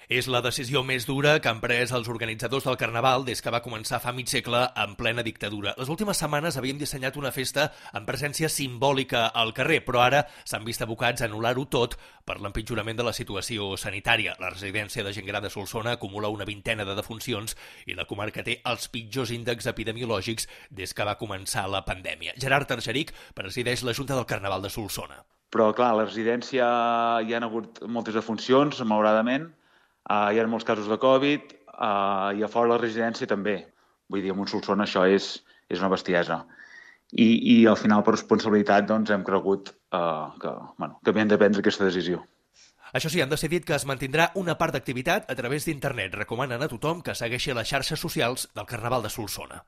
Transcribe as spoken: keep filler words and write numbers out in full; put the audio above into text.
És la decisió més dura que han pres els organitzadors del Carnaval des que va començar fa mig segle en plena dictadura. Les últimes setmanes havíem dissenyat una festa amb presència simbòlica al carrer, però ara s'han vist abocats a anul·lar-ho tot per l'empitjorament de la situació sanitària. La residència de gent gran de Solsona acumula una vintena de defuncions i la comarca té els pitjors índexs epidemiològics des que va començar la pandèmia. Gerard Argeric presideix la Junta del Carnaval de Solsona. Però, clar, a la residència hi ha hagut moltes defuncions, malauradament. Uh, hi ha molts casos de Covid uh, i a fora la residència també. Vull dir, en Solsona això és, és una bestiesa. I, i al final, per responsabilitat, doncs, hem cregut uh, que, bueno, que havíem de prendre aquesta decisió. Això sí, han decidit que es mantindrà una part d'activitat a través d'internet. Recomanen a tothom que segueixi les xarxes socials del Carnaval de Solsona.